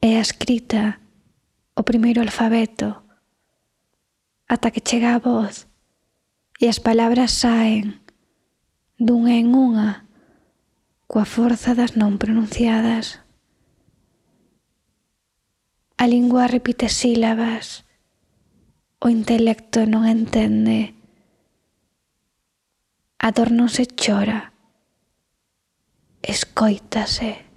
é a escrita o primeiro alfabeto, ata que chega a voz e as palabras saen dunha en unha coa forza das non pronunciadas. A lingua repite sílabas, o intelecto non entende, a dor non se chora, escóitase.